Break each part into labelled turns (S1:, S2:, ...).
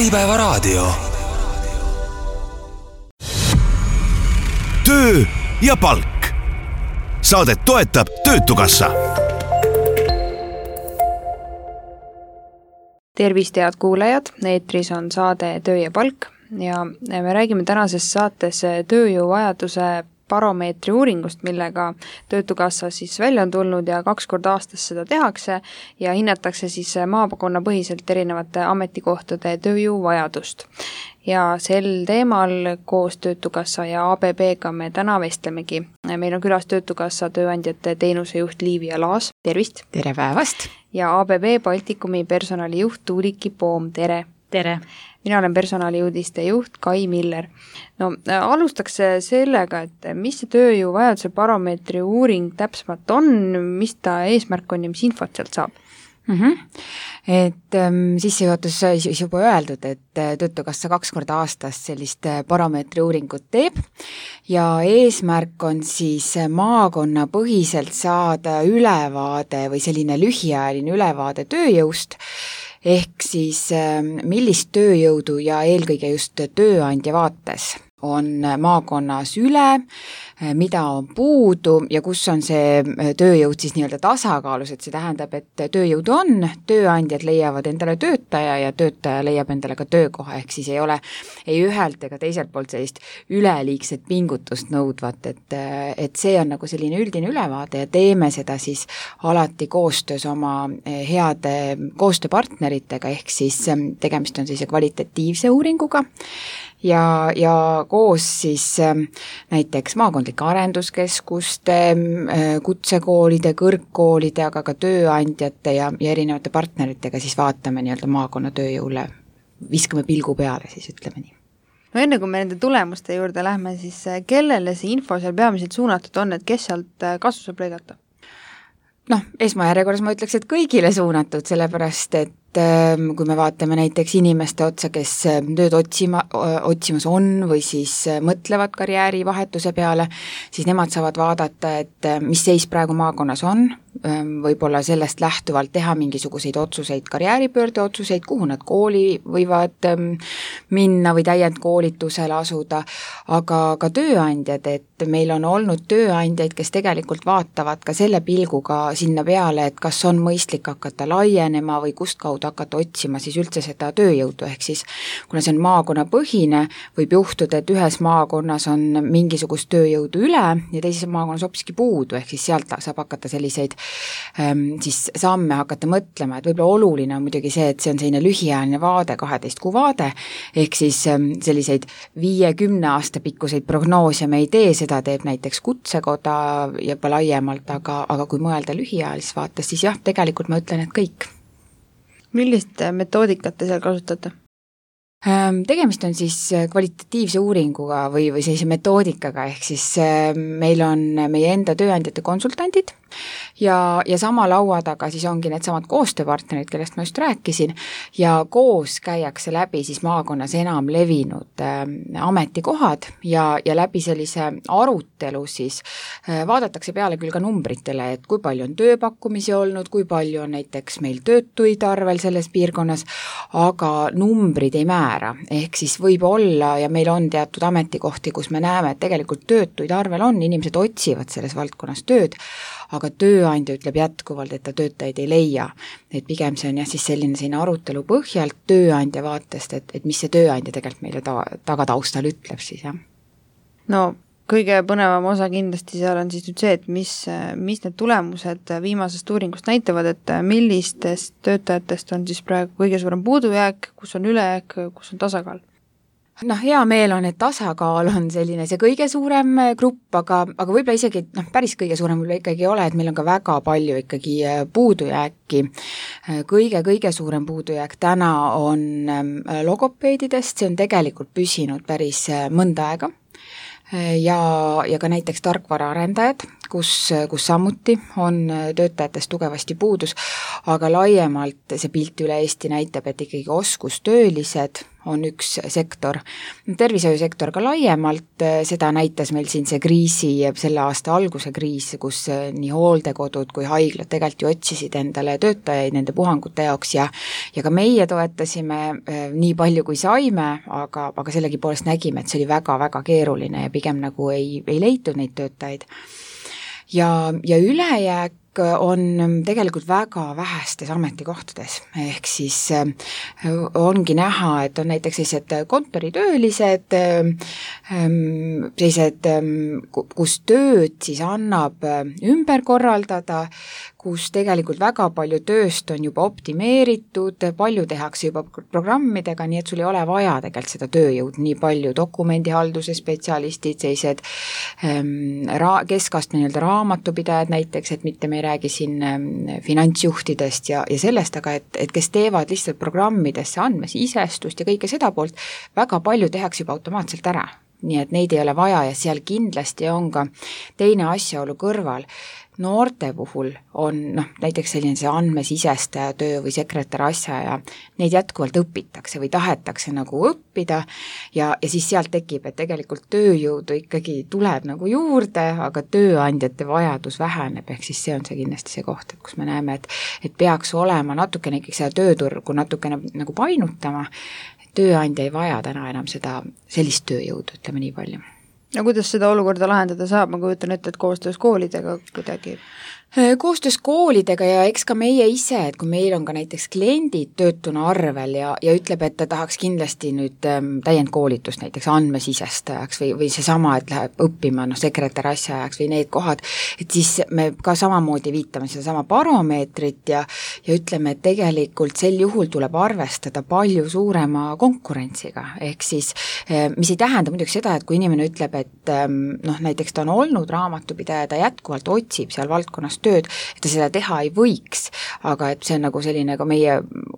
S1: Äripäevaraadio. Töö ja palk. Saadet toetab Töötukassa.
S2: Tervist, head kuulajad, eetris on saade Töö ja palk ja me räägime tänases saates tööjõuvajaduse baromeetri uuringust, millega Töötukassa siis välja on tulnud ja 2 korda aastas seda tehakse ja hinnatakse siis maakonnapõhiselt erinevate ametikohtade tööjõuvajadust. Ja sel teemal koos Töötukassa ja ABB-ga me täna vestlemegi. Meil on külas Töötukassa tööandjate teenusejuht Liivia Laas, tervist!
S3: Tere päevast!
S2: Ja ABB Baltikumi personalijuht Tuuliki Poom, tere!
S3: Tere!
S2: Mina olen personaliuudiste juht Kai Miller. No, alustaks sellega, et mis see tööjõuvajaduse baromeetri uuring täpsemalt on, mis ta eesmärk on ja mis infot sealt saab?
S3: Et sissejuhatus siis juba öeldud, et Töötukassa 2 korda aastas sellist baromeetri uuringut teeb ja eesmärk on siis maakonnapõhiselt saada ülevaade või selline lühiajaline ülevaade tööjõust, ehk siis millist tööjõudu ja eelkõige just tööandja vaates on maakonnas üle, mida on puudu ja kus on see tööjõud siis nii-öelda tasakaalus, et see tähendab, et tööjõudu on, tööandjad leiavad endale töötaja ja töötaja leiab endale ka töökoha, ehk siis ei ole ei ühelt ega teiselt poolt sellist üleliigset pingutust nõudvat, et see on nagu selline üldine ülevaade ja teeme seda siis alati koostöös oma heade koostööpartneritega, ehk siis tegemist on sellise kvalitatiivse uuringuga, ja koos siis näiteks maakondlike arenduskeskuste, kutsekoolide, kõrgkoolide, aga ka tööandjate ja erinevate partneritega siis vaatame nii-öelda maakonna tööjõule, viskame pilgu peale siis, ütleme nii.
S2: No enne kui me nende tulemuste juurde lähme, siis kellele see info seal peamiselt suunatud on, et kes sealt kasu saab lõigata?
S3: Esmajärjekorras ma ütleks, et kõigile suunatud, sellepärast et kui me vaatame näiteks inimeste otsa, kes tööd otsimas on või siis mõtlevad karjäärivahetuse peale, siis nemad saavad vaadata, et mis seis praegu maakonnas on, võib-olla sellest lähtuvalt teha mingisuguseid otsuseid, karjääripöörde otsuseid, kuhu nad kooli võivad minna või täiendkoolitusele asuda, aga ka tööandjad, et meil on olnud tööandjaid, kes tegelikult vaatavad ka selle pilguga sinna peale, et kas on mõistlik hakata laienema või kust kaudu hakata otsima siis üldse seda tööjõudu, ehk siis kuna see on maakonnapõhine, võib juhtuda, et ühes maakonnas on mingisugust tööjõudu üle ja teises maakonnas hoopiski puudu, ehk siis sealt saab hakata selliseid siis samme hakata mõtlema, et võib-olla oluline on muidugi see, et see on selline lühiajaline vaade, 12 kuu vaade, ehk siis selliseid 5-10 aasta pikkuseid prognoose me ei tee, seda teeb näiteks kutsekoda ja juba laiemalt, aga kui mõelda lühiajalises vaates, siis jah, tegelikult ma ütlen, et kõik.
S2: Millist metoodikat te seal kasutate?
S3: Tegemist on siis kvalitatiivse uuringuga või sellise metoodikaga, ehk siis meil on meie enda tööandjate konsultandid ja sama laua taga siis ongi needsamad koostööpartnerid, kellest ma just rääkisin, ja koos käiakse läbi siis maakonnas enam levinud ametikohad ja läbi sellise arutelu siis vaadatakse peale küll ka numbritele, et kui palju on tööpakkumisi olnud, kui palju on näiteks meil töötuid arvel selles piirkonnas, aga numbrid ei määra, ehk siis võib olla ja meil on teatud ametikohti, kus me näeme, et tegelikult töötuid arvel on, inimesed otsivad selles valdkonnas tööd, aga tööandja ütleb jätkuvalt, et ta töötajaid ei leia. Et pigem see on jah siis selline arutelu põhjalt tööandja vaatest, et mis see tööandja tegelikult meile tagataustal ütleb siis, jah.
S2: No, kõige põnevam osa kindlasti seal on siis nüüd see, et mis need tulemused viimasest uuringust näitavad, et millistest töötajatest on siis praegu kõige suurem puudujääk, kus on ülejääk, kus on tasakaal?
S3: Hea meel on, et tasakaal on selline see kõige suurem grupp, aga võib-olla isegi päris kõige suurem võib-olla ikkagi ei ole, et meil on ka väga palju ikkagi puudujääki. Kõige suurem puudujääk täna on logopeedidest, see on tegelikult püsinud päris mõnda aega. Ja ka näiteks tarkvaraarendajad, kus samuti on töötajatest tugevasti puudus, aga laiemalt see pilt üle Eesti näitab, et ikkagi oskustöölised on üks sektor. Tervishoiusektor ka laiemalt, seda näitas meil siin see selle aasta alguse kriis, kus nii hooldekodud kui haiglad tegelikult ju otsisid endale töötajaid nende puhangute jaoks ja ka meie toetasime nii palju kui saime, aga sellegipoolest nägime, et see oli väga-väga keeruline ja pigem nagu ei leitud neid töötajaid. Ja ülejääk on tegelikult väga vähestes ametikohtades, ehk siis ongi näha, et on näiteks sellised kontoritöölised, sellised, kus tööd siis annab ümber korraldada, kus tegelikult väga palju tööst on juba optimeeritud, palju tehakse juba programmidega, nii et sul ei ole vaja tegelikult seda tööjõud nii palju, dokumendihalduse spetsialistid, sellised keskastme raamatupidajad näiteks, et mitte me ei räägi siin finantsjuhtidest ja sellest, aga et kes teevad lihtsalt programmidesse andmesisestust ja kõike seda poolt, väga palju tehakse juba automaatselt ära. Nii et neid ei ole vaja ja seal kindlasti on ka teine asjaolu kõrval. Noorte puhul on näiteks selline see andmesisestaja töö või sekretär asja ja neid jätkuvalt õpitakse või tahetakse nagu õppida ja siis sealt tekib, et tegelikult tööjõudu ikkagi tuleb nagu juurde, aga tööandjate vajadus väheneb, ehk siis see on see kindlasti see koht, et kus me näeme, et peaks olema natukene ikkagi seda tööturgu natukene nagu painutama, tööandja ei vaja täna enam sellist tööjõudu, ütleme nii palju.
S2: Ja kuidas seda olukorda lahendada saab, ma kujutan ette, et koostöös koolidega kuidagi?
S3: Koostöös koolidega ja eks ka meie ise, et kui meil on ka näiteks kliendid töötuna arvel ja ütleb, et ta tahaks kindlasti nüüd täiendkoolitust näiteks andmesisestajaks või seesama, et läheb õppima sekretär asjaajaks või need kohad, et siis me ka samamoodi viitame sedasama baromeetrit ja ütleme, et tegelikult sel juhul tuleb arvestada palju suurema konkurentsiga, ehk siis mis ei tähenda muidugi seda, et kui inimene ütleb, et näiteks ta on olnud raamatupidaja, ta jätkuvalt otsib seal valdkonnas tööd, et ta seda teha ei võiks, aga et see on nagu selline ka meie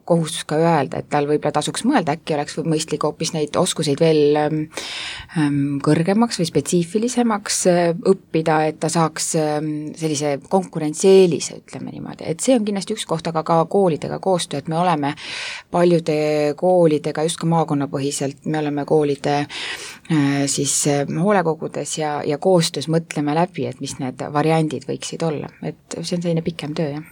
S3: kohustus ka öelda, et tal võib-olla tasuks mõelda, äkki oleks mõistlik hoopis neid oskuseid veel kõrgemaks või spetsiifilisemaks õppida, et ta saaks sellise konkurentsieelise, ütleme niimoodi, et see on kindlasti üks koht, aga ka koolidega koostöö, et me oleme paljude koolidega just ka maakonnapõhiselt, me oleme koolide siis hoolekogudes ja koostöös mõtleme läbi, et mis need variandid võiksid olla, et see on selline pikem töö, jah.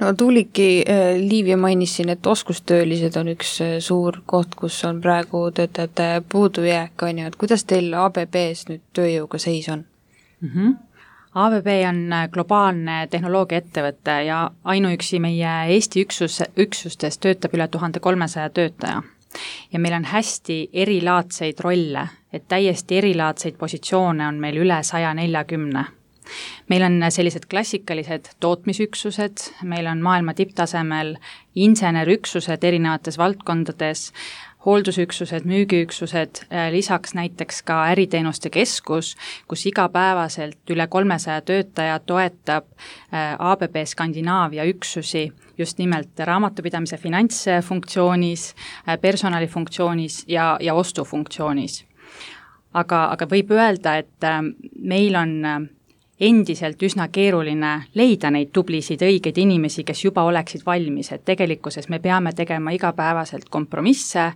S2: No Tuuliki, Liivia mainis siin, et oskustöölised on üks suur koht, kus on praegu töötajate puudujääk, on ju, et kuidas teil ABB-s nüüd tööjõuga seis on?
S4: ABB on globaalne tehnoloogiaettevõte ja ainuüksi meie Eesti üksustes töötab üle 1300 töötaja. Ja meil on hästi erilaadseid rolle, et täiesti erilaadseid positsioone on meil üle 140. Meil on sellised klassikalised tootmisüksused, meil on maailma tipptasemel insenerüksused erinevates valdkondades, hooldusüksused, müügiüksused, lisaks näiteks ka äriteenuste keskus, kus igapäevaselt üle 300 töötaja toetab ABB Skandinaavia üksusi just nimelt raamatupidamise finantsfunktsioonis, personalifunktsioonis ja ostufunktsioonis. Aga võib öelda, et meil on endiselt üsna keeruline leida neid tublisid õigeid inimesi, kes juba oleksid valmis, et tegelikkuses me peame tegema igapäevaselt kompromisse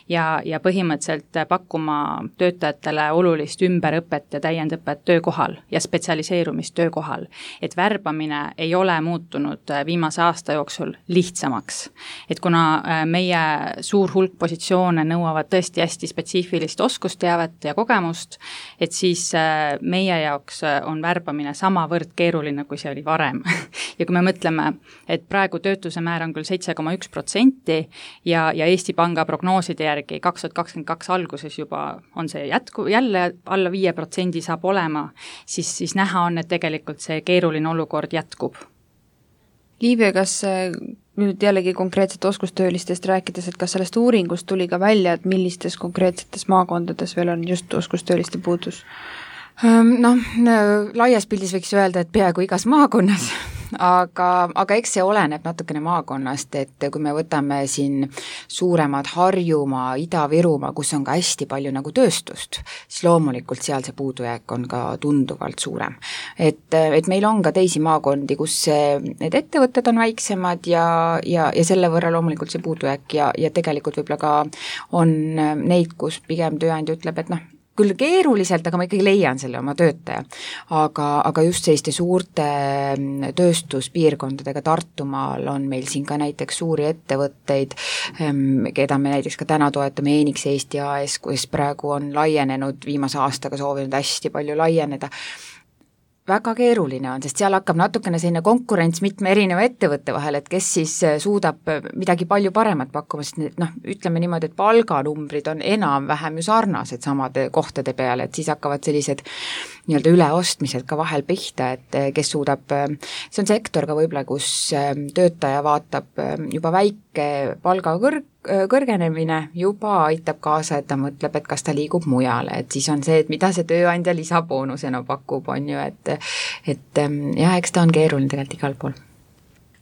S4: ja põhimõtteliselt pakkuma töötajatele olulist ümberõpet ja täiendõpet töökohal ja spetsialiseerumist töökohal. Et värbamine ei ole muutunud viimase aasta jooksul lihtsamaks. Et kuna meie suur hulk positsioone nõuavad tõesti hästi spetsiifilist oskusteavet ja kogemust, et siis meie jaoks on värbamine samavõrd keeruline, kui see oli varem. Ja kui me mõtleme, et praegu töötuse määr on küll 7,1% ja Eesti Panga prognooside järgi 2022 alguses juba on see jälle alla 5% saab olema, siis näha on, et tegelikult see keeruline olukord jätkub.
S2: Liivia, kas nüüd jällegi konkreetselt oskustöölistest rääkides, et kas sellest uuringust tuli ka välja, et millistes konkreetsetes maakondades veel on just oskustööliste puudus?
S3: Laias pildis võiks öelda, et peaaegu igas maakonnas, aga eks see oleneb natukene maakonnast, et kui me võtame siin suuremad Harjumaa, Ida-Virumaa, kus on ka hästi palju nagu tööstust, siis loomulikult seal see puudujääk on ka tunduvalt suurem. Et meil on ka teisi maakondi, kus need ettevõtted on väiksemad ja selle võrra loomulikult see puudujääk ja tegelikult võib-olla ka on neid, kus pigem tööandja ütleb, et küll keeruliselt, aga ma ikkagi leian selle oma töötaja. Aga just selliste suurte tööstuspiirkondadega Tartumaal on meil siin ka näiteks suuri ettevõtteid, keda me näiteks ka täna toetame, Enix Eesti AS, kus praegu on laienenud, viimase aastaga soovinud hästi palju laieneda. Väga keeruline on, sest seal hakkab natukene selline konkurents mitme erineva ettevõtte vahel, et kes siis suudab midagi palju paremat pakkuma, sest ütleme niimoodi, et palganumbrid on enam-vähem ju sarnased samade kohtade peale, et siis hakkavad sellised nii-öelda üleostmised ka vahel pihta, et kes suudab, see on sektor ka võib-olla, kus töötaja vaatab juba väike palga kõrgenemine juba aitab kaasa, et ta mõtleb, et kas ta liigub mujale, et siis on see, et mida see tööandja lisaboonusena pakub, on ju, et jah, eks ta on keeruline tegelikult igal pool.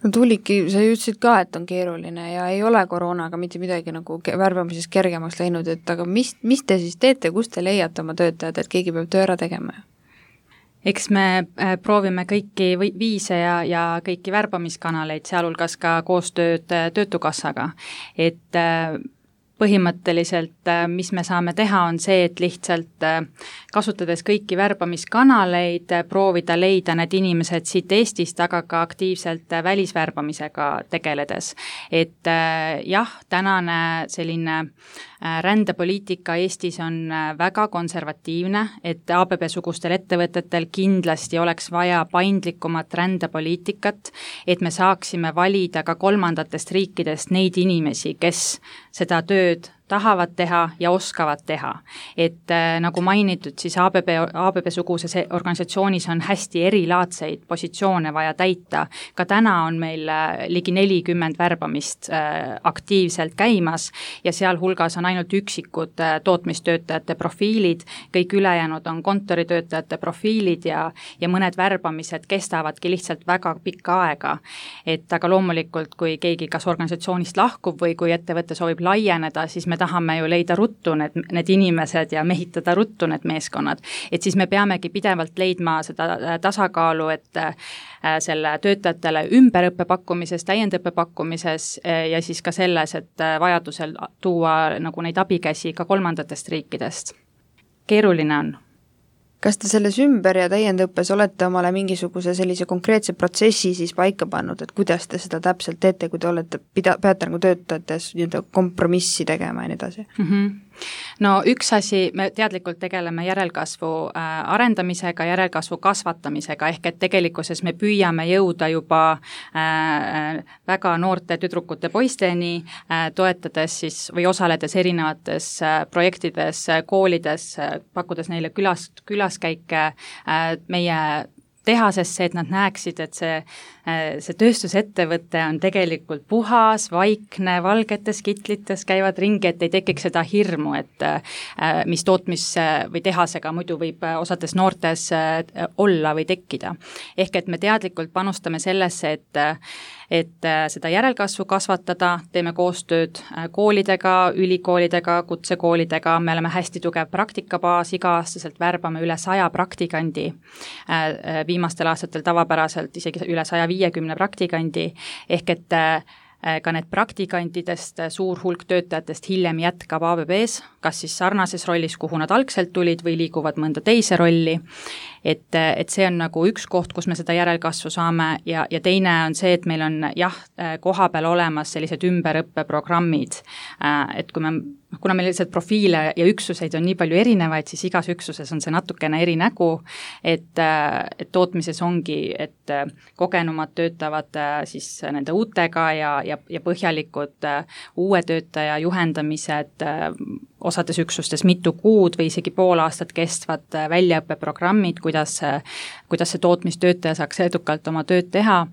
S2: No Tuuliki, sa ütlesid ka, et on keeruline ja ei ole koroonaga mitte midagi nagu värbamises kergemaks läinud, et aga mis te siis teete, kus te leiate oma töötajad, et keegi peab töö ära tegema?
S4: Eks me proovime kõiki viise ja kõiki värbamiskanaleid, sealhulgas ka koostööd Töötukassaga, et põhimõtteliselt, mis me saame teha, on see, et lihtsalt kasutades kõiki värbamiskanaleid, proovida leida need inimesed siit Eestist, aga ka aktiivselt välisvärbamisega tegeledes. Et jah, tänane selline rändepoliitika Eestis on väga konservatiivne, et ABB-sugustel ettevõtetel kindlasti oleks vaja paindlikumat rändepoliitikat, et me saaksime valida ka kolmandatest riikidest neid inimesi, kes seda tööd tahavad teha ja oskavad teha. Et nagu mainitud, siis ABB-suguses organisatsioonis on hästi erilaadseid positsioone vaja täita. Ka täna on meil ligi 40 värbamist aktiivselt käimas ja seal hulgas on ainult üksikud tootmistöötajate profiilid, kõik ülejäänud on kontoritöötajate profiilid ja mõned värbamised kestavadki lihtsalt väga pikka aega. Et aga loomulikult, kui keegi kas organisatsioonist lahkub või kui ettevõte soovib laieneda, siis me tahame ju leida ruttu need inimesed ja mehitada ruttu need meeskonnad. Et siis me peamegi pidevalt leidma seda tasakaalu, et selle töötajatele ümberõppe pakkumises, täiendõppe pakkumises ja siis ka selles, et vajadusel tuua nagu neid abikäsi ka kolmandatest riikidest. Keeruline on.
S2: Kas te selles ümber- ja täiendõppes olete omale mingisuguse sellise konkreetse protsessi siis paika pannud, et kuidas te seda täpselt teete, kui te olete peate nagu töötajates kompromissi tegema ja nii edasi?
S4: No üks asi, me teadlikult tegeleme järelkasvu arendamisega, järelkasvu kasvatamisega, ehk et tegelikkuses me püüame jõuda juba väga noorte tüdrukute poisteni, toetades siis või osaledes erinevates projektides, koolides, pakkudes neile külaskäike meie tehasesse, et nad näeksid, et see tööstusettevõte on tegelikult puhas, vaikne, valgetes kitlites käivad ringi, et ei tekiks seda hirmu, et mis tootmis- või tehasega muidu võib osades noortes olla või tekkida. Ehk et me teadlikult panustame sellesse, et seda järelkasvu kasvatada, teeme koostööd koolidega, ülikoolidega, kutsekoolidega, me oleme hästi tugev praktikabaas, iga-aastaselt värbame üle 100 praktikandi, viimastel aastatel tavapäraselt isegi üle 150 praktikandi, ehk et ka need praktikantidest suur hulk töötajatest hiljem jätkab ABB-s, kas siis sarnases rollis, kuhu nad algselt tulid või liiguvad mõnda teise rolli, et see on nagu üks koht, kus me seda järelkasvu saame ja teine on see, et meil on koha peal olemas sellised ümberõppeprogrammid, et kuna meil lihtsalt profiile ja üksuseid on nii palju erinevaid, siis igas üksuses on see natukene eri nägu, et tootmises ongi, et kogenumad töötavad siis nende uutega ja põhjalikud uue töötaja juhendamised osades üksustes mitu kuud või isegi pool aastat kestvad väljaõppeprogrammid, kuidas see tootmistöötaja saaks edukalt oma tööd teha,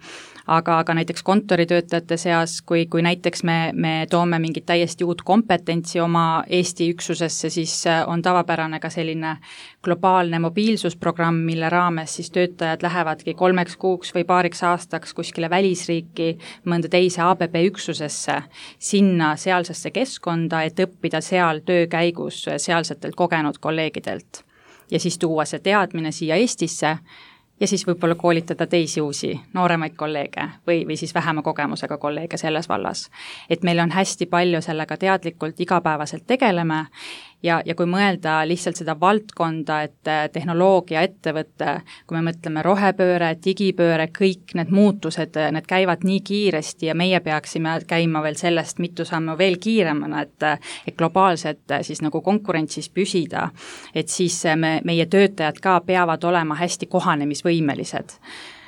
S4: aga näiteks kontoritöötajate seas, kui näiteks me toome mingit täiesti uut kompetentsi oma Eesti üksusesse, siis on tavapärane ka selline globaalne mobiilsusprogramm, mille raames siis töötajad lähevadki 3 kuuks või paariks aastaks kuskile välisriiki, mõnda teise ABB üksusesse, sinna sealsesse keskkonda, et õppida seal töö käigus sealsetelt kogenud kolleegidelt. Ja siis tuua see teadmine siia Eestisse ja siis võib-olla koolitada teisi uusi nooremaid kolleege või siis vähema kogemusega kolleege selles vallas. Et meil on hästi palju sellega teadlikult igapäevaselt tegeleme ja kui mõelda lihtsalt seda valdkonda, et tehnoloogia ettevõte, kui me mõtleme rohepööre, digipööre, kõik need muutused, need käivad nii kiiresti ja meie peaksime käima veel sellest mitu sammu veel kiiremana, et globaalselt siis nagu konkurentsis püsida, et siis meie töötajad ka peavad olema hästi kohanemisvõimelised.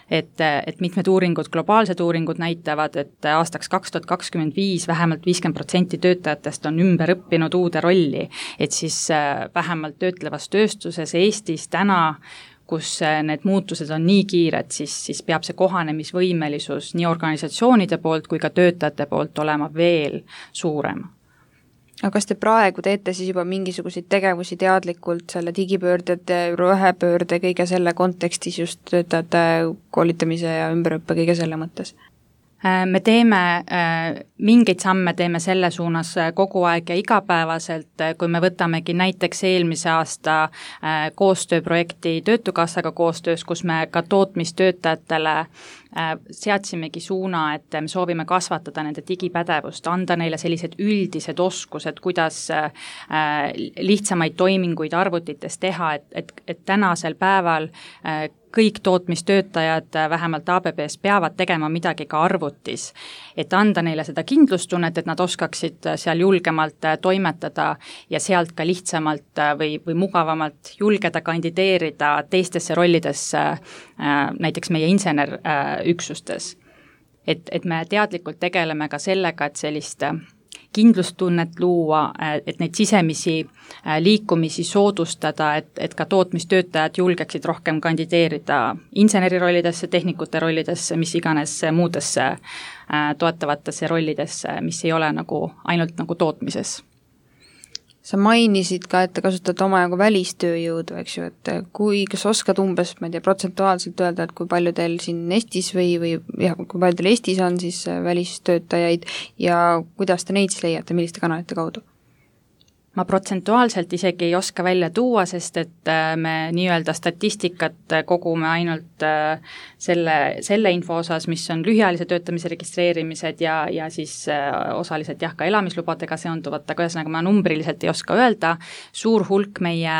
S4: Et mitmed uuringud, globaalsed uuringud näitavad, et aastaks 2025 vähemalt 50% töötajatest on ümber õppinud uude rolli, et siis vähemalt töötlevas tööstuses Eestis täna, kus need muutused on nii kiired, siis peab see kohanemisvõimelisus nii organisatsioonide poolt kui ka töötajate poolt olema veel suurem.
S2: Aga kas te praegu teete siis juba mingisuguseid tegevusi teadlikult selle digipöörded, rohepöörde, kõige selle kontekstis just töötajate koolitamise ja ümberõppe kõige selle mõttes?
S4: Me teeme mingeid samme, teeme selle suunas kogu aeg ja igapäevaselt, kui me võtamegi näiteks eelmise aasta koostööprojekti Töötukassaga koostöös, kus me ka tootmistöötajatele seadsimegi suuna, et me soovime kasvatada nende digipädevust, anda neile sellised üldised oskused, kuidas lihtsamaid toiminguid arvutites teha, et tänasel päeval kõik tootmistöötajad vähemalt ABB-s peavad tegema midagi ka arvutis, et anda neile seda kindlustunnet, et nad oskaksid seal julgemalt toimetada ja sealt ka lihtsamalt või mugavamalt julgeda kandideerida teistesse rollidesse, näiteks meie insenerüksustes. Et me teadlikult tegeleme ka sellega, et sellist kindlustunnet luua, et neid sisemisi liikumisi soodustada, et ka tootmistöötajad julgeksid rohkem kandideerida insenerirollidesse, tehnikute rollidesse, mis iganes muudesse toetavatesse rollidesse, mis ei ole nagu ainult nagu tootmises.
S2: Sa mainisid ka, et te kasutate omajagu välistööjõudu, eks ju, et kas oskad umbes, ma ei tea, protsentuaalselt öelda, et kui palju teil siin Eestis või kui palju teil Eestis on siis välistöötajaid ja kuidas te neid siis leiate, milliste kanalite kaudu? Ma protsentuaalselt isegi ei oska välja tuua, sest et me nii-öelda statistikat kogume ainult selle info osas, mis on lühiajalise töötamise registreerimised ja siis osaliselt ka elamislubadega seonduvat, aga ühesõnaga ma numbriliselt ei oska öelda. Suur hulk meie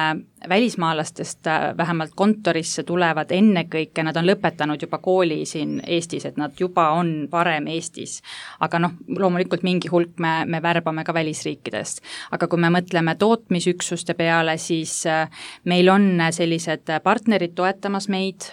S2: välismaalastest vähemalt kontorisse tulevad ennekõike, nad on lõpetanud juba kooli siin Eestis, et nad juba on varem Eestis. Aga loomulikult mingi hulk me värbame ka välisriikidest. Aga kui me mõtleme tootmisüksuste peale, siis meil on sellised partnerid toetamas meid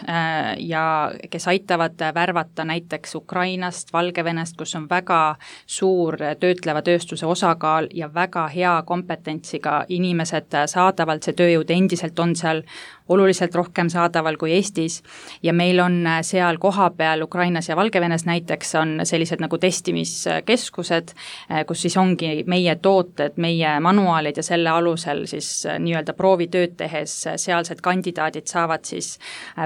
S2: ja kes aitavad värvata näiteks Ukrainast, Valgevenest, kus on väga suur töötleva tööstuse osakaal ja väga hea kompetentsiga inimesed saadavalt, see tööjõud endiselt on seal oluliselt rohkem saadaval kui Eestis ja meil on seal kohapeal Ukrainas ja Valgevenes näiteks on sellised nagu testimiskeskused, kus siis ongi meie tooted, meie manuaalid ja selle alusel siis nii-öelda proovitööd tehes sealsed kandidaadid saavad siis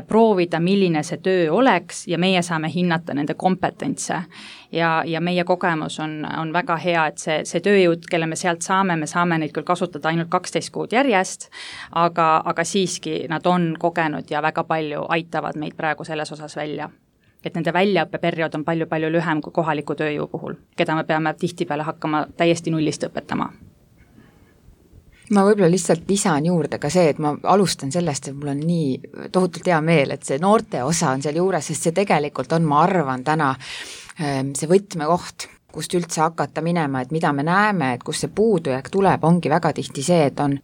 S2: proovida, milline see töö oleks ja meie saame hinnata nende kompetentse. Ja meie kogemus on väga hea, et see tööjõud, kelle me sealt saame neid küll kasutada ainult 12 kuud järjest, aga siiski nad on kogenud ja väga palju aitavad meid praegu selles osas välja. Et nende väljaõppeperiood on palju-palju lühem kui kohaliku tööjõu puhul, keda me peame tihtipeale hakkama täiesti nullist õpetama.
S3: Ma võib-olla lihtsalt lisan juurde ka see, et ma alustan sellest, et mul on nii tohutult hea meel, et see noorte osa on seal juures, sest see tegelikult on, ma arvan, täna see võtmekoht, kust üldse hakata minema, et mida me näeme, et kus see puudujääk tuleb, ongi väga tihti see, et on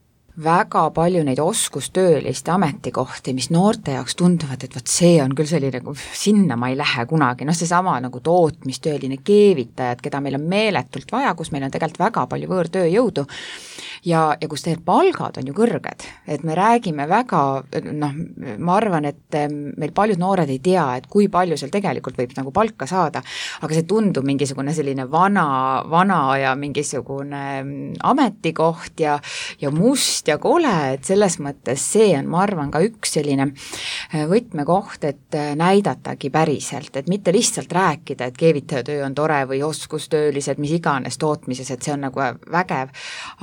S3: väga palju neid oskustööliste ametikohti, mis noorte jaoks tunduvad, et see on küll selline, sinna ma ei lähe kunagi, seesama nagu tootmistööline keevitajad, keda meil on meeletult vaja, kus meil on tegelikult väga palju võõrtööjõudu ja kus tegelikult palgad on ju kõrged, et me räägime väga, ma arvan, et meil paljud noored ei tea, et kui palju seal tegelikult võib nagu palka saada, aga see tundub mingisugune selline vana ja mingisugune ametikoht ja must ja kole, et selles mõttes see on, ma arvan, ka üks selline võtmekoht, et näidatagi päriselt, et mitte lihtsalt rääkida, et keevitajatöö on tore või oskustöölised, mis iganes tootmises, et see on nagu vägev,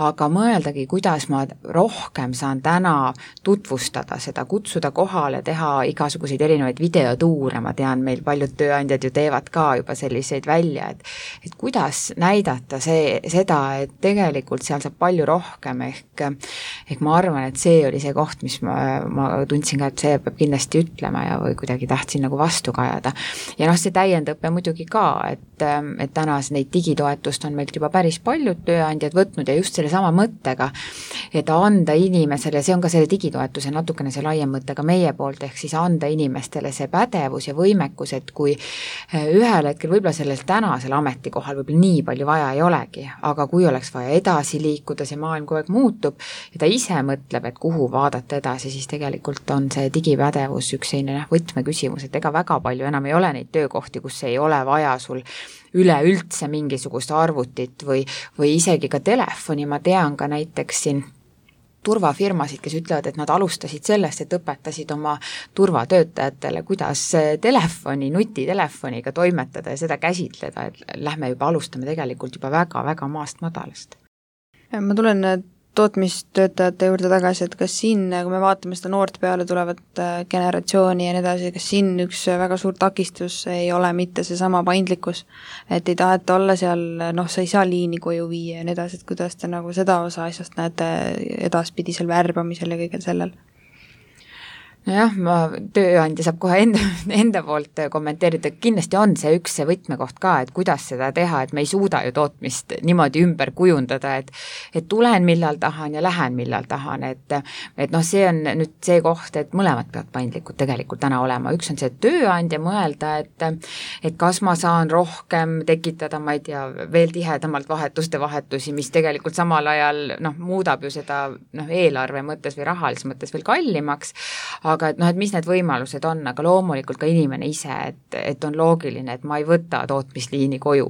S3: aga mõeldagi, kuidas ma rohkem saan täna tutvustada seda, kutsuda kohale, teha igasuguseid erinevaid videotuure, ma tean, meil paljud tööandjad ju teevad ka juba selliseid välja, et kuidas näidata seda, et tegelikult seal saab palju rohkem, ehk ma arvan, et see oli see koht, mis ma tundsin ka, et see peab kindlasti ütlema ja või kuidagi tahtsin nagu vastu kajada. Ja see täiendõpe muidugi ka, et tänas neid digitoetust on meilt juba päris paljud tööandjad võtnud ja just selle sama mõttega, et anda inimesele, see on ka selle digitoetuse natukene see laiem mõte ka meie poolt, ehk siis anda inimestele see pädevus ja võimekus, et kui ühel hetkel võib-olla sellel tänasel ametikohal võib-olla nii palju vaja ei olegi, aga kui oleks vaja edasi liikuda, see maailm kogu aeg muutub ja ta ise mõtleb, et kuhu vaadata edasi, siis tegelikult on see digipädevus üks selline võtmeküsimus, et ega väga palju enam ei ole neid töökohti, kus ei ole vaja sul üleüldse mingisugust arvutit või isegi ka telefoni, ma tean ka näiteks siin turvafirmasid, kes ütlevad, et nad alustasid sellest, et õpetasid oma turvatöötajatele, kuidas nutitelefoniga toimetada ja seda käsitleda, et lähme juba alustame tegelikult juba väga-väga maast madalast.
S2: Ma tulen tootmistöötajate juurde tagasi, et kas siin, kui me vaatame seda noort peale tulevat generatsiooni ja nii edasi, kas siin üks väga suur takistus ei ole mitte seesama paindlikkus, et ei taheta olla seal, sa ei saa liini koju viia ja nii edasi, et kuidas te nagu seda osa asjast näete edaspidisel värbamisel ja kõigel sellel?
S3: Nojah, tööandja saab kohe enda poolt kommenteerida, kindlasti on see üks see võtmekoht ka, et kuidas seda teha, et me ei suuda ju tootmist niimoodi ümber kujundada, et tulen millal tahan ja lähen millal tahan, et see on nüüd see koht, et mõlemad peavad paindlikud tegelikult täna olema, üks on see tööandja mõelda, et kas ma saan rohkem tekitada, ma ei tea, veel tihedamalt vahetusi, mis tegelikult samal ajal muudab ju seda eelarve mõttes või rahalises mõttes veel kallimaks, aga et mis need võimalused on, aga loomulikult ka inimene ise, et on loogiline, et ma ei võta tootmisliini koju,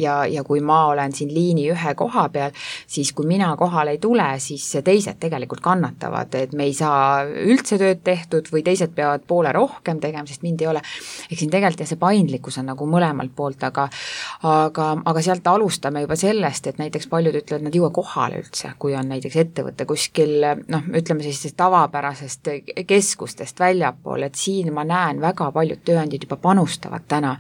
S3: ja kui ma olen siin liini ühe koha peal, siis kui mina kohale ei tule, siis teised tegelikult kannatavad, et me ei saa üldse tööd tehtud või teised peavad poole rohkem tegema, sest mind ei ole. Ehk siin tegelikult see paindlikkus on nagu mõlemalt poolt, aga sealt alustame juba sellest, et näiteks paljud ütlevad, nad jõua kohale üldse, kui on näiteks ettevõte kuskil, ütleme siis tavapärasest keskustest väljapool, et siin ma näen väga paljud tööandjad juba panustavad täna.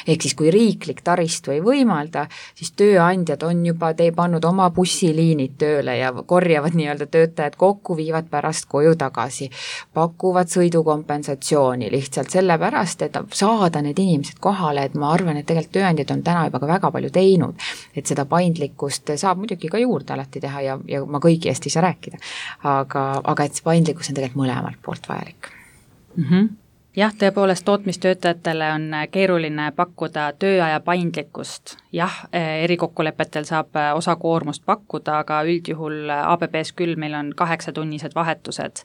S3: Ehk siis kui riiklik taristu ei võimalda, siis tööandjad on juba pannud oma bussiliinid tööle ja korjavad nii-öelda töötajad kokku, viivad pärast koju tagasi, pakuvad sõidukompensatsiooni lihtsalt sellepärast, et saada need inimesed kohale, et ma arvan, et tegelikult tööandjad on täna juba ka väga palju teinud, et seda paindlikkust saab muidugi ka juurde alati teha ja ma kõigi eest ei saa rääkida, aga et see paindlikkus on tegelikult mõlemalt poolt vajalik.
S4: Jah, tõepoolest tootmistöötajatele on keeruline pakkuda tööaja paindlikkust. Jah, erikokkulepetel saab osakoormust pakkuda, aga üldjuhul ABB-s küll meil on 8-tunnised vahetused.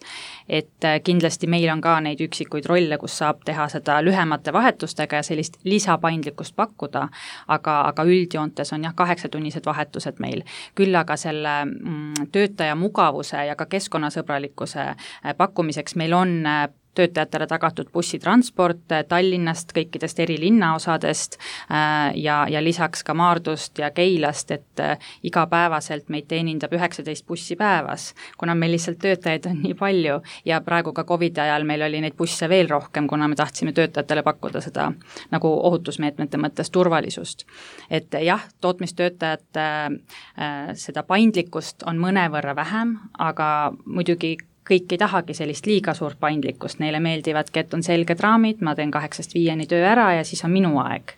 S4: Et kindlasti meil on ka neid üksikuid rolle, kus saab teha seda lühemate vahetustega ja sellist lisapaindlikkust pakkuda, aga üldjoontes on 8-tunnised vahetused meil. Küll aga selle töötaja mugavuse ja ka keskkonnasõbralikkuse pakkumiseks meil on töötajatele tagatud bussitransport Tallinnast, kõikidest eri linnaosadest ja lisaks ka Maardust ja Keilast, et igapäevaselt meid teenindab 19 bussi päevas, kuna meil lihtsalt töötajaid on nii palju ja praegu ka COVID ajal meil oli neid busse veel rohkem, kuna me tahtsime töötajatele pakkuda seda nagu ohutusmeetmete mõttes turvalisust. Et jah, tootmistöötajate seda paindlikkust on mõnevõrra vähem, aga muidugi kõik ei tahagi sellist liiga suurt paindlikkust, neile meeldivadki, et on selged raamid, ma teen 8-5 töö ära ja siis on minu aeg.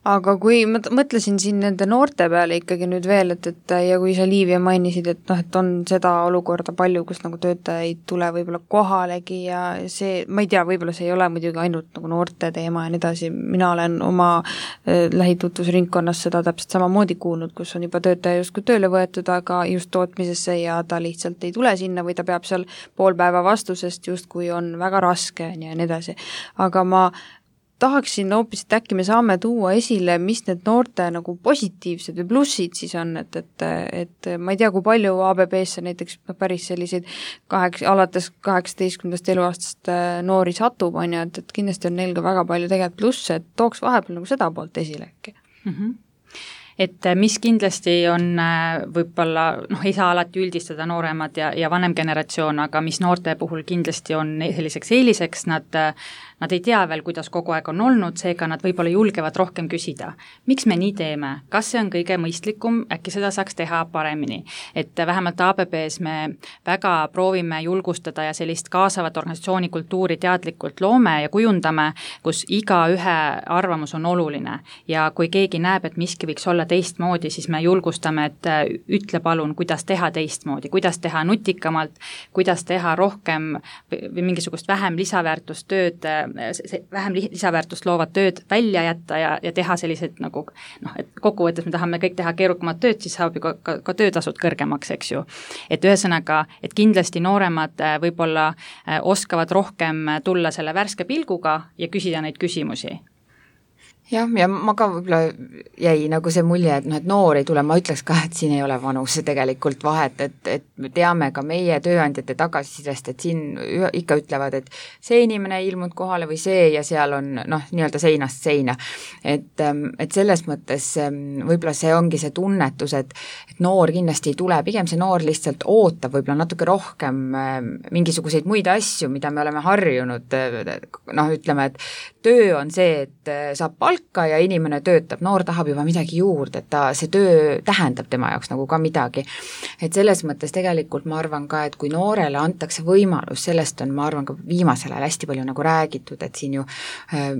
S2: aga kui ma mõtlesin siin nende noorte peale ikkagi nüüd veel, et ja kui sa Liivia mainisid, et noh, et on seda olukorda palju, kus nagu töötaja ei tule võib-olla kohalegi ja see, ma ei tea, võib-olla see ei ole muidugi ainult nagu noorte teema ja nii edasi, mina olen oma lähitutvusringkonnas seda täpselt samamoodi kuulnud, kus on juba töötaja justkui tööle võetud, aga just tootmisesse ja ta lihtsalt ei tule sinna või ta peab seal pool päeva vastusest justkui on väga raske ja nii edasi. Aga ma tahaksin hoopis, et äkki me saame tuua esile, mis need noorte nagu positiivsed või plussid siis on, et ma ei tea, kui palju ABB-sse näiteks päris selliseid alates 18. eluaastast noori satub, on ju, et kindlasti on neil ka väga palju tegelikult plusse, et tooks vahepeal nagu seda poolt esile äkki.
S4: Et mis kindlasti on võib-olla, ei saa alati üldistada nooremad ja vanem generatsioon, aga mis noorte puhul kindlasti on selliseks eeliseks, nad ei tea veel, kuidas kogu aeg on olnud, seega nad võib-olla julgevad rohkem küsida. Miks me nii teeme? Kas see on kõige mõistlikum? Äkki seda saaks teha paremini? Et vähemalt ABB-s me väga proovime julgustada ja sellist kaasavat organisatsioonikultuuri teadlikult loome ja kujundame, kus iga ühe arvamus on oluline. Ja kui keegi näeb, et miski võiks olla teistmoodi, siis me julgustame, et ütle palun, kuidas teha teistmoodi, kuidas teha nutikamalt, kuidas teha rohkem või mingisugust vähem lisaväärtustööd, vähem lisaväärtust loovad tööd välja jätta ja teha sellised nagu, et kokkuvõttes me tahame kõik teha keerukamat tööd, siis saab ju ka töötasud kõrgemaks, eks ju. Et ühesõnaga, et kindlasti nooremad võib-olla oskavad rohkem tulla selle värske pilguga ja küsida neid küsimusi.
S3: Jah, ja ma ka võib-olla jäi nagu see mulje, et noor ei tule, ma ütleks ka, et siin ei ole vanuse tegelikult vahet, et me teame ka meie tööandjate tagasisidest, et siin ikka ütlevad, et see inimene ei ilmunud kohale või see ja seal on nii-öelda seinast seina. Et selles mõttes võib-olla see ongi see tunnetus, et noor kindlasti ei tule, pigem see noor lihtsalt ootab võib-olla natuke rohkem mingisuguseid muid asju, mida me oleme harjunud, ütleme, et töö on see, et saab palka ja inimene töötab, noor tahab juba midagi juurde, et see töö tähendab tema jaoks nagu ka midagi. Et selles mõttes tegelikult ma arvan ka, et kui noorele antakse võimalus, sellest on, ma arvan, ka viimasel ajal hästi palju nagu räägitud, et siin ju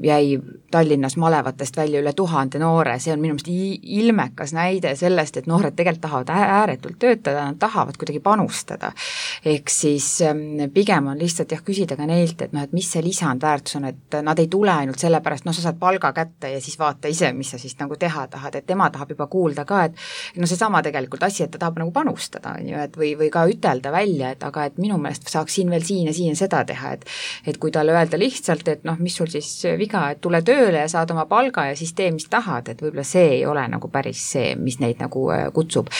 S3: jäi Tallinnas malevatest välja üle 1000 noore, see on minu meelest ilmekas näide sellest, et noored tegelikult tahavad ääretult töötada, nad tahavad kuidagi panustada. Ehk siis pigem on lihtsalt küsida ka neilt, et mis see lisandväärtus on, et nad ei tule ainult sellepärast, sa saad palga kätte ja siis vaata ise, mis sa siis nagu teha tahad, et tema tahab juba kuulda ka, et seesama tegelikult asi, et ta tahab nagu panustada, on ju, et või ka ütelda välja, et aga et minu meelest saaks siin veel siin ja siin seda teha, et kui talle öelda lihtsalt, et mis sul siis viga, et tule tööle ja saad oma palga ja siis tee, mis tahad, et võib-olla see ei ole nagu päris see, mis neid nagu kutsub.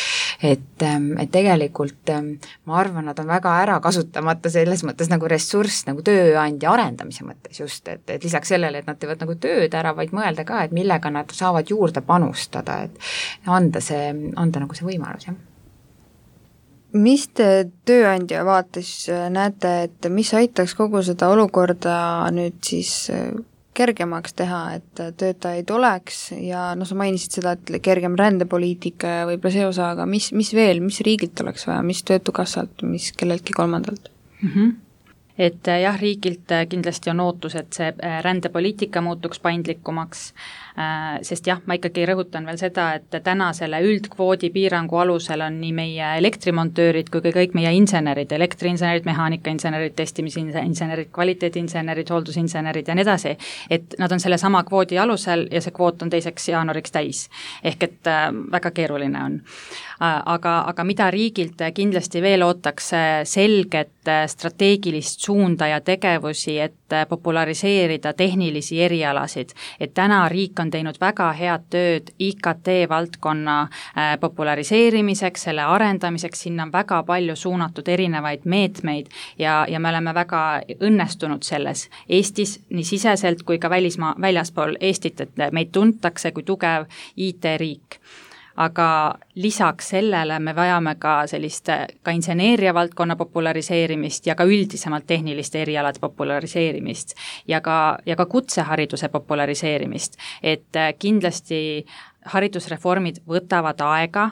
S3: Et tegelikult ma arvan, nad on väga ära kasutamata selles mõttes nagu ressurss nagu tööandja arendamise mõttes just, et lisaks sellele, et nad teevad nagu tööd ära, vaid mõelda ka, et millega nad saavad juurde panustada, et anda nagu see võimalus, jah.
S2: Mis te tööandja vaates näete, et mis aitaks kogu seda olukorda nüüd siis kergemaks teha, et töötajaid oleks ja sa mainisid seda, et kergem rändepoliitika ja võib-olla see osa, aga mis veel, mis riigilt oleks vaja, mis töötukassalt, mis kelleltki kolmandalt?
S4: Et jah, riigilt kindlasti on ootus, et see rändepoliitika muutuks paindlikumaks, sest jah, ma ikkagi rõhutan veel seda, et täna selle üldkvoodi piirangu alusel on nii meie elektrimontöörid kui kõik meie insenerid, elektriinsenerid, mehaanikainsenerid, testimisinsenerid, kvaliteediinsenerid, hooldusinsenerid ja nii edasi, et nad on selle sama kvoodi alusel ja see kvoot on 2. jaanuariks täis. Ehk et väga keeruline on. Aga mida riigilt kindlasti veel ootaks selget strateegilist suunda ja tegevusi, et populariseerida tehnilisi erialasid, et täna riik on teinud väga head tööd IKT valdkonna populariseerimiseks, selle arendamiseks, sinna on väga palju suunatud erinevaid meetmeid ja me oleme väga õnnestunud selles Eestis nii siseselt kui ka väljaspool Eestit, et meid tuntakse kui tugev IT-riik. Aga lisaks sellele me vajame ka sellist ka inseneeria valdkonna populariseerimist ja ka üldisemalt tehniliste erialade populariseerimist ja ka kutsehariduse populariseerimist, et kindlasti haridusreformid võtavad aega,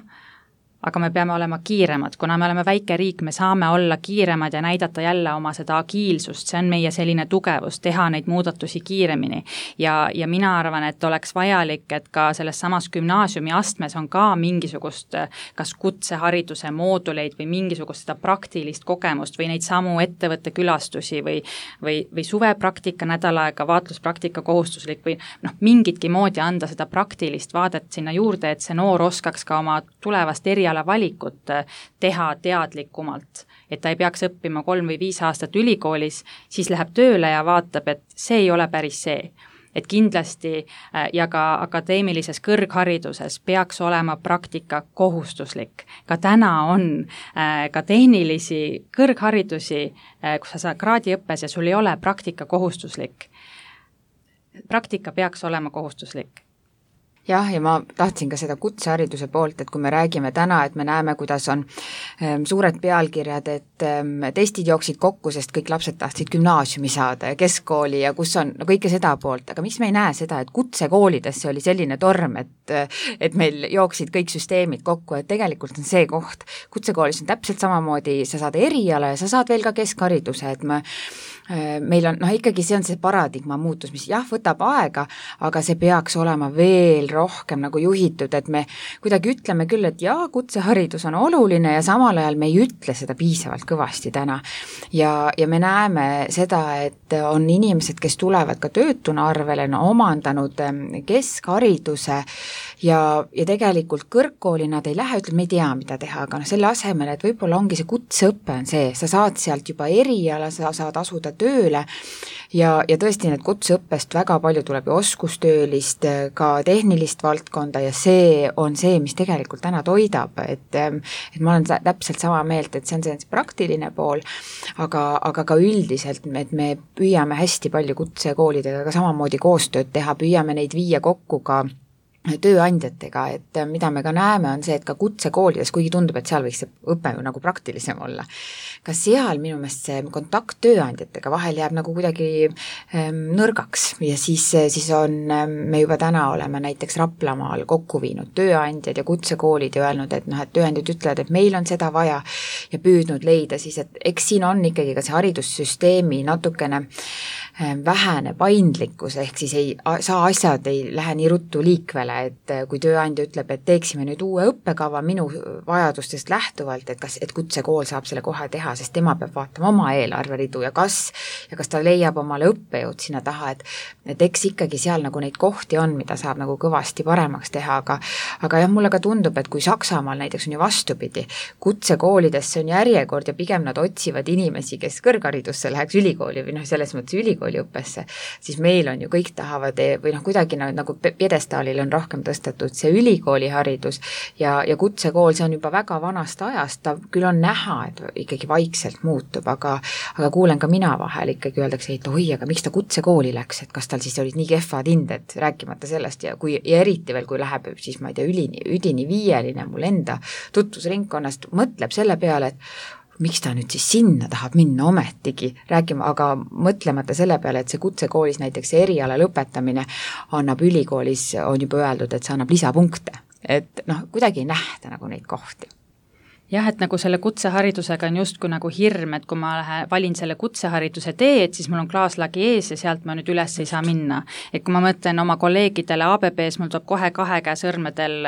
S4: aga me peame olema kiiremad, kuna me oleme väike riik, me saame olla kiiremad ja näidata jälle oma seda agiilsust, see on meie selline tugevus, teha neid muudatusi kiiremini. Ja mina arvan, et oleks vajalik, et ka selles samas gümnaasiumi astmes on ka mingisugust kas kutsehariduse mooduleid või mingisugust seda praktilist kogemust või neid samu ettevõtte külastusi või suvepraktika nädal aega, vaatluspraktika kohustuslik või mingitki moodi anda seda praktilist vaadet sinna juurde, et see noor oskaks ka oma tulevast erialavalikut teha teadlikumalt, et ta ei peaks õppima 3 või 5 aastat ülikoolis, siis läheb tööle ja vaatab, et see ei ole päris see. Et kindlasti ja ka akadeemilises kõrghariduses peaks olema praktika kohustuslik. Ka täna on ka tehnilisi kõrgharidusi, kus sa saad kraadiõppes ja sul ei ole praktika kohustuslik. Praktika peaks olema kohustuslik.
S3: Jah, ja ma tahtsin ka seda kutsehariduse poolt, et kui me räägime täna, et me näeme, kuidas on suured pealkirjad, et testid jooksid kokku, sest kõik lapsed tahtsid gümnaasiumi saada ja keskkooli ja kus on kõike seda poolt, aga miks me ei näe seda, et kutsekoolidesse oli selline torm, et meil jooksid kõik süsteemid kokku, et tegelikult on see koht. Kutsekoolis on täpselt samamoodi, sa saad eriala ja sa saad veel ka keskhariduse, et meil on, ikkagi see on see paradigma muutus, mis jah, võtab aega, aga see peaks olema veel rohkem nagu juhitud, et me kuidagi ütleme küll, et jaa, kutseharidus on oluline ja samal ajal me ei ütle seda piisavalt kõvasti täna. Ja me näeme seda, et on inimesed, kes tulevad ka töötuna arvele, on omandanud keskhariduse ja tegelikult kõrgkooli nad ei lähe, ütleb, me ei tea, mida teha, aga selle asemel, et võib-olla ongi see kutseõpe on see, sa saad sealt juba eriala, sa saad asuda tööle ja tõesti need kutseõppest väga palju tuleb ju oskustöölist, ka tehnilist valdkonda ja see on see, mis tegelikult täna toidab, et ma olen täpselt sama meelt, et see on see praktiline pool, aga ka üldiselt, et me püüame hästi palju kutsekoolidega ka samamoodi koostööd teha, püüame neid viia kokku ka tööandjatega, et mida me ka näeme, on see, et ka kutsekoolides, kuigi tundub, et seal võiks see õpe ju nagu praktilisem olla, ka seal minu meelest see kontakt tööandjatega vahel jääb nagu kuidagi nõrgaks ja siis on, me juba täna oleme näiteks Raplamaal kokku viinud tööandjad ja kutsekoolid ja öelnud, et et tööandjad ütlevad, et meil on seda vaja ja püüdnud leida siis, et eks siin on ikkagi ka see haridussüsteemi natukene vähene paindlikkus, ehk siis asjad ei lähe nii ruttu liikvele, et kui tööandja ütleb, et teeksime nüüd uue õppekava minu vajadustest lähtuvalt, et kutsekool saab selle kohe teha, sest tema peab vaatama oma eelarveridu ja kas ta leiab omale õppejõud sinna taha, et eks ikkagi seal nagu neid kohti on, mida saab nagu kõvasti paremaks teha, aga jah, mulle ka tundub, et kui Saksamaal näiteks on ju vastupidi, kutsekoolidesse on järjekord ja pigem nad otsivad inimesi, kes kõrgharidusse läheks ülikooli või selles mõttes ülikooliõppesse, siis meil on ju kõik tahavad või kuidagi nagu pjedestaalil on rohkem tõstetud see ülikooliharidus ja kutsekool, see on juba väga vanast ajast, ta küll on näha, et ikkagi vaikselt muutub, aga kuulen ka mina vahel ikkagi öeldakse, et oi, aga miks ta kutsekooli läks, et kas tal siis olid nii kehvad hinded, rääkimata sellest ja eriti veel, kui läheb siis ma ei tea, üdini viieline mul enda tutvusringkonnast, mõtleb selle peale, et miks ta nüüd siis sinna tahab minna ometigi rääkima, aga mõtlemata selle peale, et see kutsekoolis näiteks see eriala lõpetamine annab ülikoolis, on juba öeldud, et see annab lisapunkte, et kuidagi ei nähta nagu neid kohti.
S4: Jah, et nagu selle kutseharidusega on justkui nagu hirm, et kui ma valin selle kutsehariduse teed, siis mul on klaaslagi ees ja sealt ma nüüd üles ei saa minna. Et kui ma mõtlen oma kolleegidele ABB-s, mul tuleb kohe 2 käe sõrmedel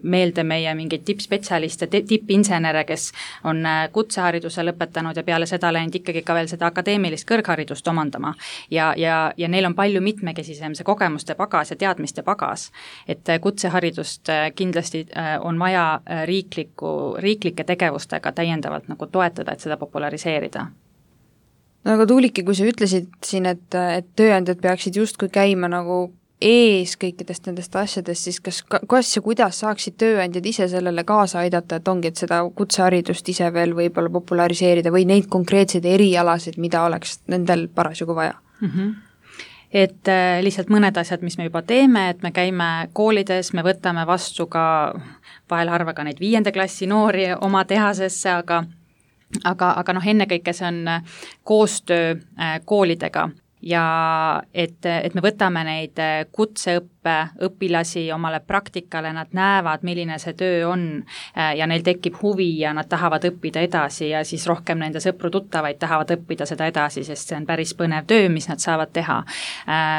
S4: meelde meie mingeid tippspetsialiste, tippinsenere, kes on kutsehariduse lõpetanud ja peale seda läinud ikkagi ka veel seda akadeemilist kõrgharidust omandama. Ja neil on palju mitmekesisem see kogemuste pagas ja teadmiste pagas. Et kutseharidust kindlasti on vaja riiklike tegevustega täiendavalt nagu toetada, et seda populariseerida.
S2: No aga Tuuliki, kui sa ütlesid siin, et tööandjad peaksid justkui käima nagu ees kõikidest nendest asjadest, siis kas ja kuidas saaksid tööandjad ise sellele kaasa aidata, et ongi, et seda kutseharidust ise veel võib-olla populariseerida või neid konkreetseid erialasid, mida oleks nendel parasjagu vaja?
S4: Et lihtsalt mõned asjad, mis me juba teeme, et me käime koolides, me võtame vastu ka vahel harva ka neid 5. klassi noori oma tehasesse, aga ennekõike see on koostöö koolidega ja et me võtame neid kutseõppe õpilasi omale praktikale, nad näevad, milline see töö on ja neil tekib huvi ja nad tahavad õppida edasi ja siis rohkem nende sõpru-tuttavaid tahavad õppida seda edasi, sest see on päris põnev töö, mis nad saavad teha.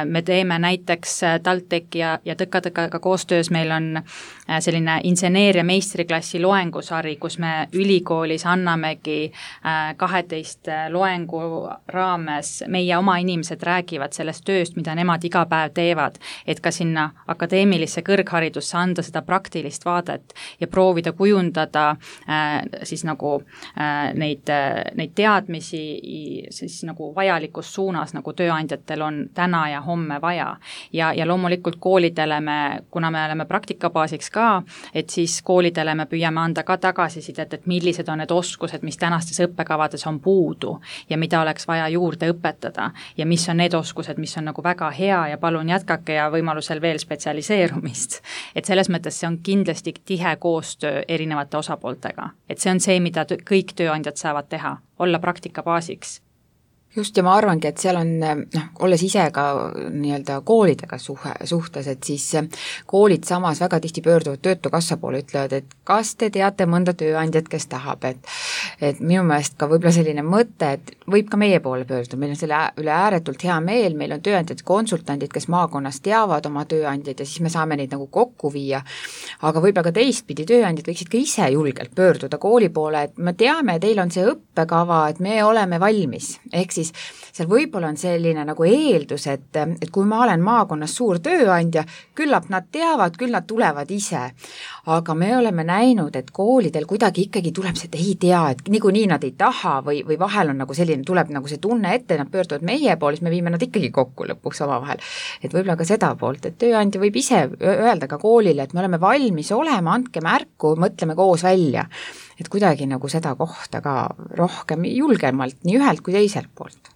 S4: Me teeme näiteks TalTechi ja Tõka-Tõkaga koostöös, meil on selline inseneeria meistriklassi loengusari, kus me ülikoolis annamegi 12 loengu raames, meie oma inimesed räägivad sellest tööst, mida nemad iga päev teevad, et ka sinna akadeemilisse kõrgharidusse anda seda praktilist vaadet ja proovida kujundada siis nagu neid teadmisi siis nagu vajalikus suunas, nagu tööandjatel on täna ja homme vaja. Ja loomulikult koolidele kuna me oleme praktikabaasiks ka, et siis koolidele me püüame anda ka tagasisidet, et millised on need oskused, mis tänastes õppekavades on puudu ja mida oleks vaja juurde õpetada ja mis on need oskused, mis on nagu väga hea ja palun jätkake ja võimalusel veel spetsialiseerumist. Et selles mõttes see on kindlasti tihe koostöö erinevate osapooltega. Et see on see, mida kõik tööandjad saavad teha, olla praktikabaasiks.
S3: Just, ja ma arvangi, et seal on, olles ise ka nii-öelda koolidega suhtes, et siis koolid samas väga tihti pöörduvad Töötukassa poole, ütlevad, et kas te teate mõnda tööandjat, kes tahab, et minu meelest ka võib-olla selline mõte, et võib ka meie poole pöörduda, meil on selle üle ääretult hea meel, meil on tööandjad, konsultandid, kes maakonnas teavad oma tööandjaid ja siis me saame neid nagu kokku viia, aga võib-olla ka teistpidi tööandjad võiksid ka ise julgelt pöörduda kooli poole, et me teame, teil on see õppekava, et me oleme valmis, ehk siis seal võib-olla on selline nagu eeldus, et kui ma olen maakonnas suur tööandja, küllap nad teavad, küll nad tulevad ise. Aga me oleme näinud, et koolidel kuidagi ikkagi tuleb see, et ei tea, et niikuinii nad ei taha või vahel on nagu selline, tuleb nagu see tunne ette, nad pöörduvad meie poole, siis me viime nad ikkagi kokku lõpuks omavahel. Et võib-olla ka seda poolt, et tööandja võib ise öelda ka koolile, et me oleme valmis olema, andke märku, mõtleme koos välja. Et kuidagi nagu seda kohta ka rohkem julgemalt nii ühelt kui teiselt poolt.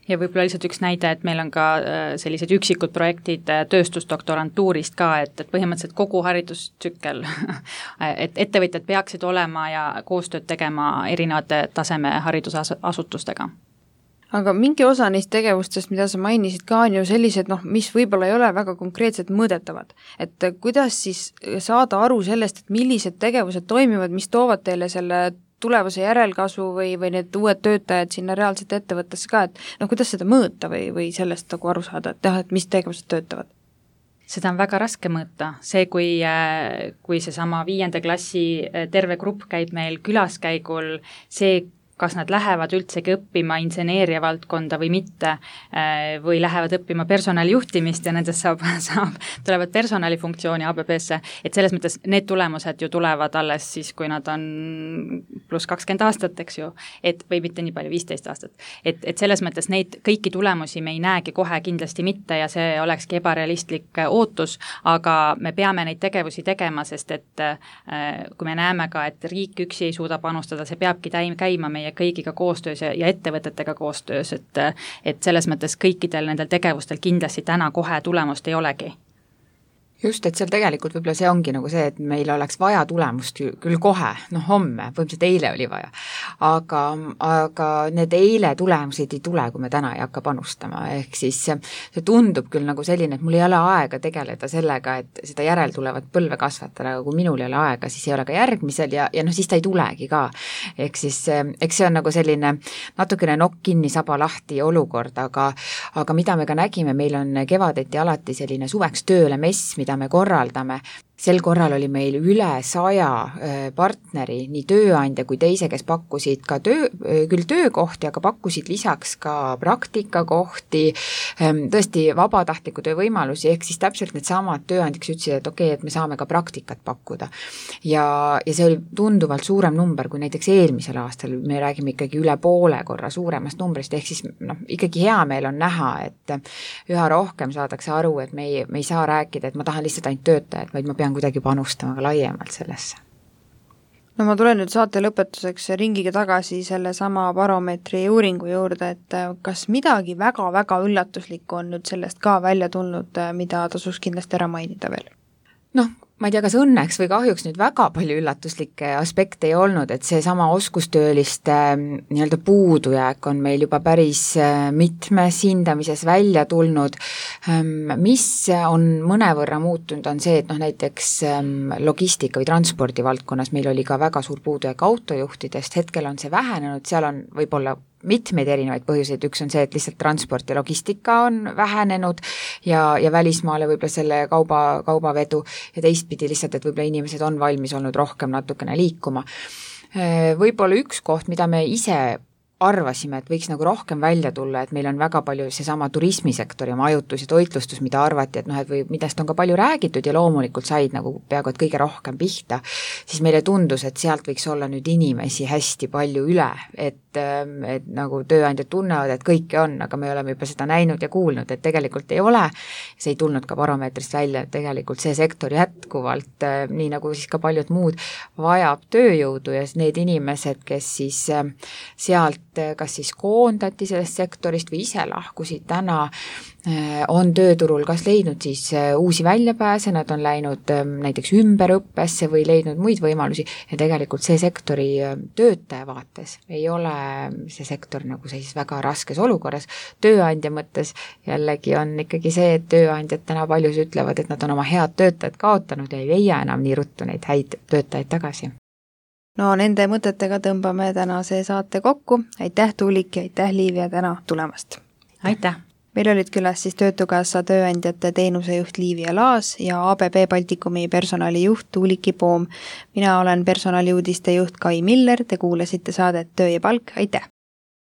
S4: Ja võib-olla lihtsalt üks näide, et meil on ka sellised üksikud projektid tööstusdoktorantuurist ka, et põhimõtteliselt kogu haridustsükkel, et ettevõtjad peaksid olema ja koostööd tegema erinevate taseme haridusasutustega.
S2: Aga mingi osa neist tegevustest, mida sa mainisid ka, on ju sellised, mis võib-olla ei ole väga konkreetselt mõõdetavad. Et kuidas siis saada aru sellest, et millised tegevused toimivad, mis toovad teile selle tulevase järelkasvu või need uued töötajad sinna reaalselt ettevõttesse ka, et kuidas seda mõõta või sellest nagu aru saada, et mis tegevused töötavad?
S4: Seda on väga raske mõõta. See, kui seesama 5. klassi terve grupp käib meil külaskäigul, see, kas nad lähevad üldsegi õppima inseneeria valdkonda või mitte, või lähevad õppima personalijuhtimist ja nendest tulevad personalifunktsiooni ABB-sse, et selles mõttes need tulemused ju tulevad alles siis, kui nad on pluss 20 aastat, eks ju, või mitte nii palju, 15 aastat. Et selles mõttes neid kõiki tulemusi me ei näegi kohe kindlasti mitte ja see olekski ebarealistlik ootus, aga me peame neid tegevusi tegema, sest et kui me näeme ka, et riik üksi ei suuda panustada, see peabki käima meie kõigiga koostöös ja ettevõtetega koostöös, et selles mõttes kõikidel nendel tegevustel kindlasti täna kohe tulemust ei olegi.
S3: Just, et seal tegelikult võib-olla see ongi nagu see, et meil oleks vaja tulemust küll kohe, homme, põhimõtteliselt eile oli vaja, aga need eile tulemused ei tule, kui me täna ei hakka panustama, ehk siis see tundub küll nagu selline, et mul ei ole aega tegeleda sellega, et seda järeltulevat põlve kasvatada, aga kui minul ei ole aega, siis ei ole ka järgmisel ja siis ta ei tulegi ka. Ehk siis, eks see on nagu selline natukene nokk kinni, saba lahti olukord, aga mida me ka nägime, meil on kevadeti alati selline suveks tööle mess, mida me korraldame. Sel korral oli meil üle 100 partneri, nii tööandja kui teise, kes pakkusid ka küll töökohti, aga pakkusid lisaks ka praktikakohti, tõesti vabatahtliku töö võimalusi, ehk siis täpselt need samad tööandjaks ütlesid, et okei, et me saame ka praktikat pakkuda. Ja see oli tunduvalt suurem number kui näiteks eelmisel aastal, me räägime ikkagi üle poole korra suuremast numbrist, ehk siis ikkagi hea meel on näha, et üha rohkem saadakse aru, et me ei saa rääkida, et ma tahan lihtsalt ainult töötajad, vaid ma pean kuidagi panustama ka laiemalt sellesse.
S2: No ma tulen nüüd saate lõpetuseks ringiga tagasi selle sama baromeetri uuringu juurde, et kas midagi väga-väga üllatuslikku on nüüd sellest ka välja tulnud, mida tasuks kindlasti ära mainida veel?
S3: ma ei tea, kas õnneks või kahjuks nüüd väga palju üllatuslikke aspekte ei olnud, et seesama oskustööliste nii-öelda puudujääk on meil juba päris mitmes hindamises välja tulnud. Mis on mõnevõrra muutunud, on see, et näiteks logistika või transpordi valdkonnas meil oli ka väga suur puudujääk autojuhtidest, hetkel on see vähenenud, seal on võib-olla mitmeid erinevaid põhjuseid, üks on see, et lihtsalt transport ja logistika on vähenenud ja välismaale võib-olla selle kaubavedu ja teistpidi lihtsalt, et võib-olla inimesed on valmis olnud rohkem natukene liikuma. Võib-olla üks koht, mida me ise arvasime, et võiks nagu rohkem välja tulla, et meil on väga palju seesama turismisektor ja majutus ja toitlustus, mida arvati, et et või millest on ka palju räägitud ja loomulikult said nagu peaaegu et kõige rohkem pihta, siis meile tundus, et sealt võiks olla nüüd inimesi hästi palju üle, et nagu tööandjad tunnevad, et kõike on, aga me oleme juba seda näinud ja kuulnud, et tegelikult ei ole, see ei tulnud ka baromeetrist välja, et tegelikult see sektor jätkuvalt, nii nagu siis ka paljud muud, vajab tööjõudu ja need inimesed, kes siis sealt kas siis koondati sellest sektorist või ise lahkusid täna, on tööturul kas leidnud siis uusi väljapääse, nad on läinud näiteks ümberõppesse või leidnud muid võimalusi ja tegelikult see sektori töötaja vaates ei ole see sektor nagu sellises väga raskes olukorras. Tööandja mõttes jällegi on ikkagi see, et tööandjad täna paljus ütlevad, et nad on oma head töötajad kaotanud ja ei leia enam nii ruttu neid häid töötajaid tagasi.
S2: No nende mõtetega tõmbame tänase saate kokku. Aitäh, Tuulik, ja aitäh, Liivia, täna tulemast.
S4: Aitäh!
S2: Meil olid külas siis Töötukassa tööandjate teenusejuht Liivia Laas ja ABB Baltikumi personalijuht Tuuliki Poom. Mina olen personaliuudiste juht Kai Miller, te kuulasite saadet Töö ja palk, aitäh!